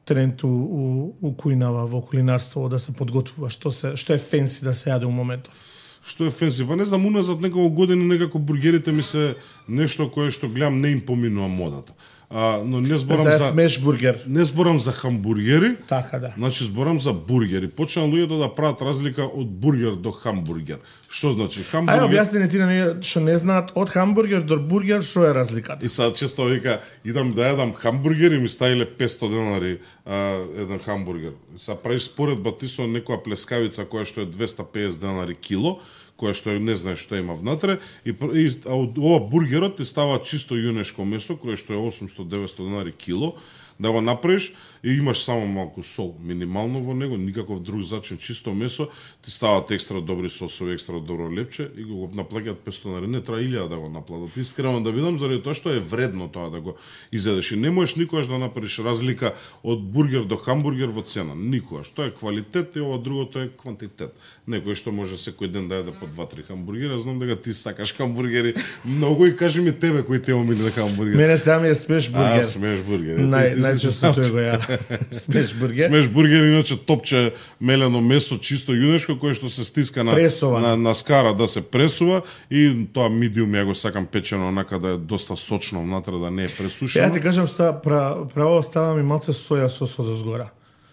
тренд у, у, у кујнава во кулинарство да се подготвува, што се што е фенси да се јаде у моментов? Што е фенси? Па не знам, уназад неколку години некако бургерите ми се нешто кое што гледам не им поминува модата. А, но не зборам за... за смеш бургер. Не зборам за хамбургери. Така да. Значи зборам за бургери. Почнаа луѓето да прават разлика од бургер до хамбургер. Што значи хамбургер? Ај објасни ти на што не знаат од хамбургер до бургер што е разликата. И сега често вика идам да јадам хамбургер и ми ставиле петсто денари а, еден хамбургер. Сега правиш споредба ти со некоја плескавица која што е двесте и песет денари кило, која што не знаеш што има внатре, и, и а од ова бургерот ти става чисто јунешко месо, кое што е осумсто до деветсто денари кило, да го направиш и имаш само малку сол, минимално во него, никаков друг зачин, чисто месо, ти стават екстра добри сосови, екстра добро лепче и го наплаќаат петсто денари. Не треба илјада да го наплатат. Искрено да видам заради тоа што е вредно тоа да го изедеш. И не можеш никогаш да направиш разлика од бургер до хамбургер во цена. Никогаш. Тоа е квалитет и ова другото е квантитет. Некој што може секој ден да јаде по два-три хамбургера, знам дека ти сакаш хамбургери многу и кажи ми тебе кој те омиле хамбургер. Мене сами е смеш бургер. А, смеш бургер. Нај најчесто тој го јадам. Смеш бургер. Смеш бургер иначе топче мелено месо чисто јунешко кое што се стиска на на, на скара да се пресува и тоа медиум ја го сакам печено онака да е доста сочно внатре, да не е пресушено. Ја ти кажам ста право ставам и малце соја сос од згора.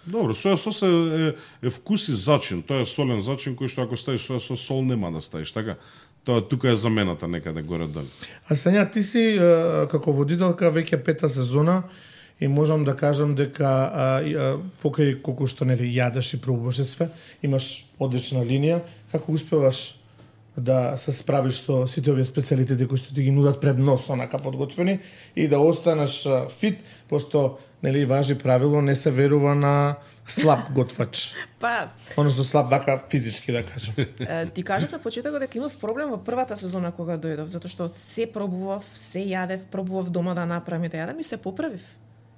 Добро, соја сос е, е, е вкус и зачин. Тоа е солен зачин кој што ако ставиш соја сос, сол нема да ставиш, така? Тоа тука е замената некаде горе долу. А Сања, ти си како водителка веќе пета сезона и можам да кажам дека а, а, покрај колку што нели јадеш и пробуваш све, имаш одлична линија. Како успеваш да се справиш со сите овие специјалитети кои што ти ги нудат пред нос, онака подготвени, и да останеш а, фит, пошто нели важи правило, не се верува на слаб готвач. Па, односно слаб вака физички да кажам. Ти кажав на почетокот дека имав проблем во првата сезона кога дојдов, затоа што се пробував, се јадев, пробував дома да направам и да јадам и се поправив.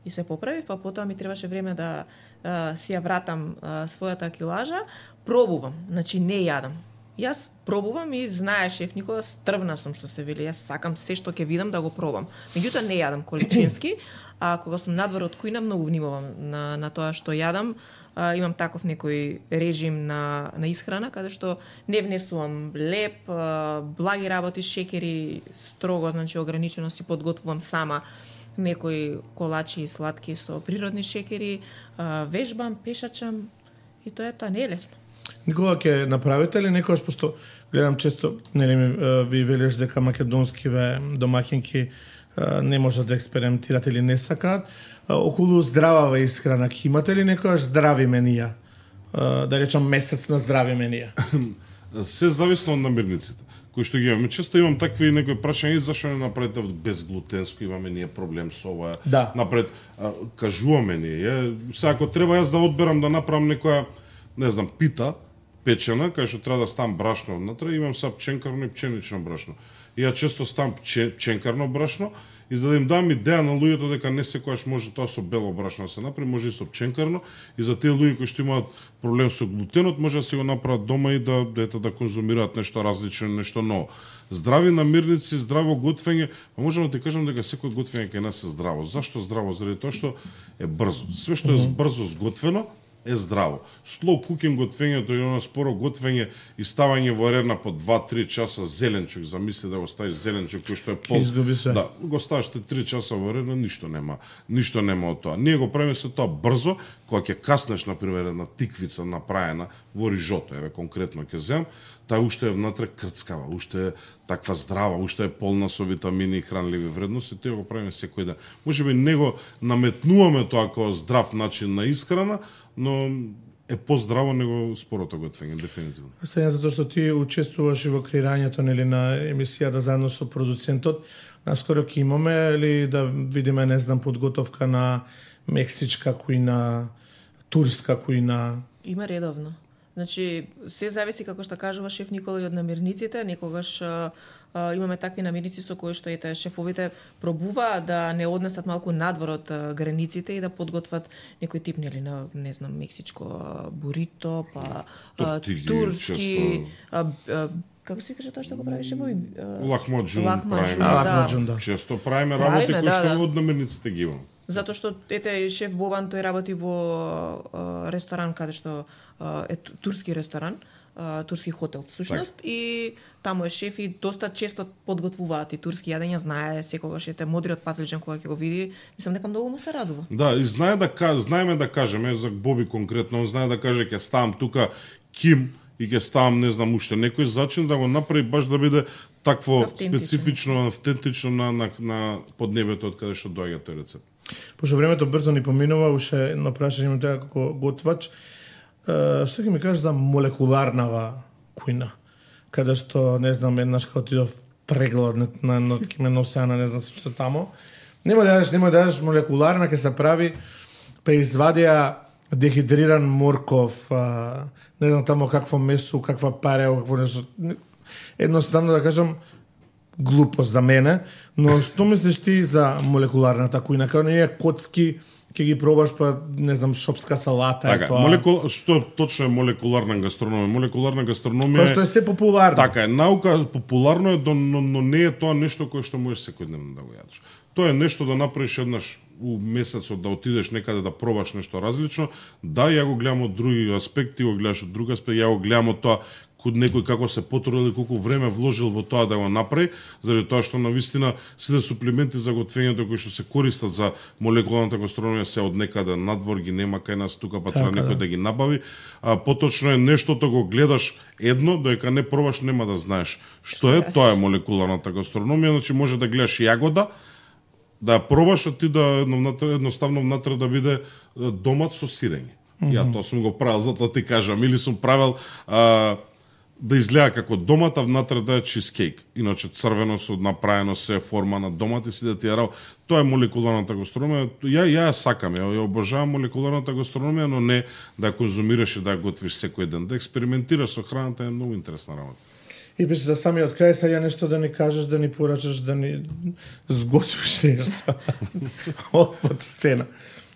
И се поправив, па потоа ми требаше време да а, си ја вратам а, својата килажа, пробувам, значи не јадам. Јас пробувам и знае шеф Никола, стрвна сум што се вели, јас сакам се што ќе видам да го пробам. Меѓутоа не јадам количински, а кога сум надвор од кујна многу внимавам на, на тоа што јадам. А, имам таков некој режим на, на исхрана, каде што не внесувам леп, а, благи работи, шекери, строго, значи ограничено си подготвувам сама некои колачи и сладки со природни шекери, а, вежбам, пешачам и тоа е тоа, не е лесно. Никола, ќе направите ли некојаш, пошто гледам често, нели ми ви велиш дека македонскиве домаќинки не можат да експериментират или не сакаат, околу здравава исхрана, ќе имате ли некојаш здрави менија? Да речам месец на здрави менија? Се зависно од намирниците кои што ги имаме. Често имам такви некои прашања, зашто не направите безглутенско, имаме ние проблем со ова. Да. Напред, а, кажуваме ние. Сега, ако треба јас да одберам да направам некоја, не знам, пита, печена, кај што треба да ставам брашно внатре, имам са пченкарно и пченично брашно. И ја често ставам пченкарно брашно, и за да им дам идеја на луѓето дека не секогаш може тоа со бело брашно да се направи, може и со пченкарно, и за тие луѓе кои што имаат проблем со глутенот, може да се го направат дома и да дете да конзумираат нешто различно, нешто ново. Здрави намирници, здраво готвење, па можам да ти кажам дека секој готвење кај нас е здраво. Зашто здраво? Заради тоа што е брзо. Све што е брзо сготвено е здраво. Slow cooking готвењето е оно споро готвење и ставање во рерна по два-три часа зеленчук, замисли да го ставиш зеленчук кој што е пол. Изгуби се. Да, го ставиш три часа во рерна, ништо нема, ништо нема од тоа. Ние го правиме се тоа брзо, кога ќе каснеш на пример една тиквица направена во рижото, еве конкретно ќе земам, таа уште е внатре крцкава, уште е таква здрава, уште е полна со витамини и хранливи вредности, тоа го правиме секој ден. Можеби не го наметнуваме тоа како здрав начин на исхрана, но е поздраво него спорото готвење, дефинитивно. Сега затоа што ти учествуваш и во креирањето нели на емисијата заедно со продуцентот, наскоро ќе имаме или да видиме, не знам, подготовка на мексичка кујна, турска кујна? Има редовно. Значи, се зависи, како што кажува шеф Никола, и од намирниците. Некогаш а, а, имаме такви намирници со кои што ете шефовите пробуваат да не однесат малку надвор од а, границите и да подготват некој тип, нели, на, не знам, мексичко а, бурито, па а, Тортиги, турски, често. а, а, како се каже тоа што го правише во Лахмаджун Лахмаджун, правиме. А, лахмаджун, да. Често правиме работи Правиме, кои што да, да. од намирниците ги имаме. Затоа што ете шеф Бобан тој работи во а, ресторан каде што а, е ту- турски ресторан, а, турски хотел всушност Так. и таму е шеф и доста често подготвуваат и турски јадења, знае секогаш ете модриот патлиџан кога ќе го види, мислам дека многу му се радува. Да, и знае да каже, знаеме да кажеме за Боби конкретно, он знае да каже ќе ставам тука ким и ќе ставам не знам уште некој зачин да го направи баш да биде такво Автентично. специфично, автентично на на, на поднебето од каде што доаѓа тој рецепт. Пошто времето брзо ни поминува, уште едно прашање имам тоа како готвач. Е, што ќе ми кажеш за молекуларнава кујна? Каде што, не знам, еднаш кога отидов преглед на, на, на Кимен Осеана, не знам што тамо. Нема да јадеш, нема да јадеш молекуларна, ќе се прави, па извадија дехидриран морков, а, не знам тамо какво месо, каква парео, какво нешто. Едноставно да кажам, глупост за мене, но што мислиш ти за молекуларната кујна? Као не е коцки, ќе ги пробаш па не знам шопска салата е Така, тоа. молекул, што точно е молекуларна гастрономија? Молекуларна гастрономија Тоа што е се популарно. Така е, наука популарно е, но, но не е тоа нешто кое што можеш секојдневно да го јадеш. Тоа е нешто да направиш еднаш у месецот, да отидеш некаде да пробаш нешто различно. Да, ја го гледам од други аспекти, го гледаш од друг аспект, ја го гледам од тоа код некој како се потрудил и колку време вложил во тоа да го направи, заради тоа што навистина сите суплементи за готвењето кои што се користат за молекуларната гастрономија се од некаде надвор, ги нема кај нас тука, па Така, треба некој да. да ги набави. А поточно е нештото го гледаш едно, додека не пробаш нема да знаеш што е, тоа е молекуларната гастрономија, значи може да гледаш јагода, да ја пробаш, а ти да едноставно внатре да биде е, домат со сирење. Mm -hmm. Ја тоа сум го правил, затоа ти кажам, или сум правил а, да изгледа како домат, а внатре да е чизкейк. Иначе црвено со направено се форма на домат и си да ти ја рал. Тоа е молекуларната гастрономија. Ја ја ја сакам, ја, ја обожавам молекуларната гастрономија, но не да ја конзумираш и да ја готвиш секој ден. Да експериментираш со храната е многу интересна работа. И беше за самиот крај сега нешто да ни кажеш, да ни порачаш, да ни сготвиш нешто од под сцена.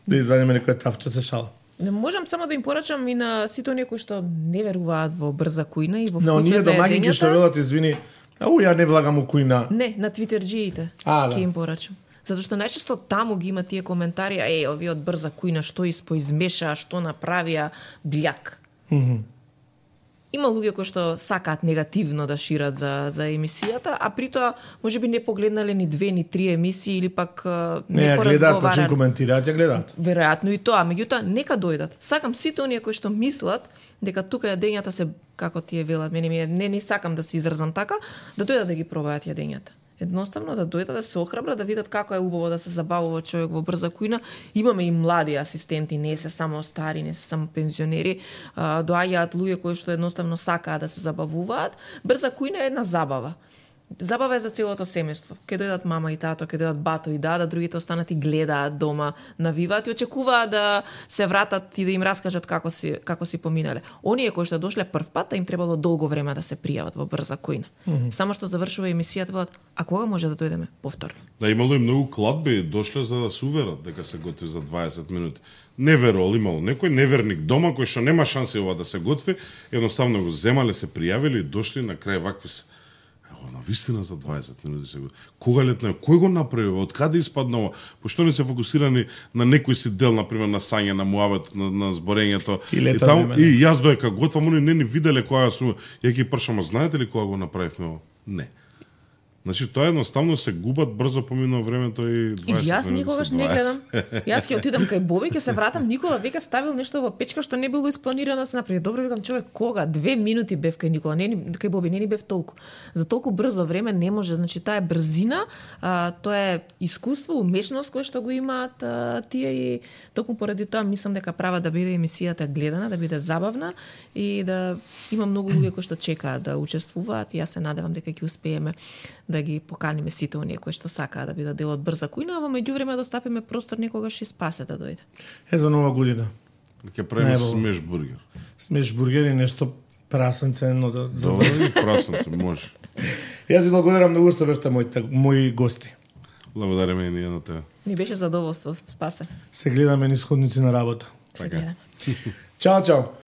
Да извадиме некоја тавче се шала. Не можам само да им порачам и на сите оние кои што не веруваат во брза кујна и во Но вкусот оние на домаќинки што јадењата. велат извини, ау ја не влагам у кујна. Не, на твитерџиите А, да. ќе им порачам. Затоа што најчесто таму ги има тие коментари, е, овие од брза кујна што испоизмешаа, што направија, бљак. Mm -hmm. Има луѓе кои што сакаат негативно да шират за за емисијата, а при тоа можеби не погледнале ни две ни три емисии или пак Не ја гледаат, па че коментираат, ја гледаат. Веројатно и тоа, меѓутоа нека дојдат. Сакам сите оние кои што мислат дека тука јадењата се како тие велат, мене ми е, не не сакам да се изразам така, да дојдат да ги пробаат јадењата. Едноставно да дојдат да се охрабрат, да видат како е убаво да се забавува човек во брза кујна. Имаме и млади асистенти, не се само стари, не се само пензионери. А, доаѓаат луѓе кои што едноставно сакаат да се забавуваат. Брза кујна е една забава. Забава е за целото семејство. Ке дојдат мама и тато, ке дојдат бато и дада, другите останат и гледаат дома, навиваат и очекуваат да се вратат и да им раскажат како си како си поминале. Оние кои што дошле прв пат, им требало долго време да се пријават во брза кујна. Mm -hmm. Само што завршува емисијата, велат, а кога може да дојдеме повторно? Да, имало и многу кладби, дошле за да се уверат дека се готви за дваесет минути. Не верувал, имало некој неверник дома кој што нема шанси ова да се готви, едноставно го земале, се пријавили и дошли на крај вакви се. на вистина за дваесет минути се го. Кога летна, кој го направи, од каде испадна ова? Пошто не се фокусирани на некој си дел, на пример на сање, на муавет, на, на зборењето. И, и, таму, и јас доека готвам, они не ни виделе кога сум, ја ги пршам, знаете ли кога го направивме ова? Не. Значи тоа едноставно се губат брзо поминува времето и дваесет И јас минути никогаш се не дваесет. гледам. Јас ќе отидам кај Боби, ќе се вратам, Никола веќе ставил нешто во печка што не било испланирано да се направи. Добро, викам, човек, кога? Две минути бев кај Никола, не ни кај Боби, не ни бев толку. За толку брзо време не може, значи таа е брзина, а, тоа е искуство, умешност кој што го имаат а, тие и токму поради тоа мислам дека права да биде емисијата гледана, да биде забавна и да има многу луѓе кои што чекаат да учествуваат и јас се надевам дека ќе успееме да ги поканиме сите оние кои што сакаат да бидат дел од брза кујна, а во меѓувреме да остапиме простор некогаш и Спасе да дојде. Е за нова година. Ќе правиме смеш бургер. Смеш бургер и нешто прасенце едно да Добро, прасенце, може. Јас ви благодарам многу што бевте моите мои гости. Благодариме и ние на тебе. Ни беше задоволство, Спасе. Се гледаме низ ходници на работа. Се гледаме. Чао, чао.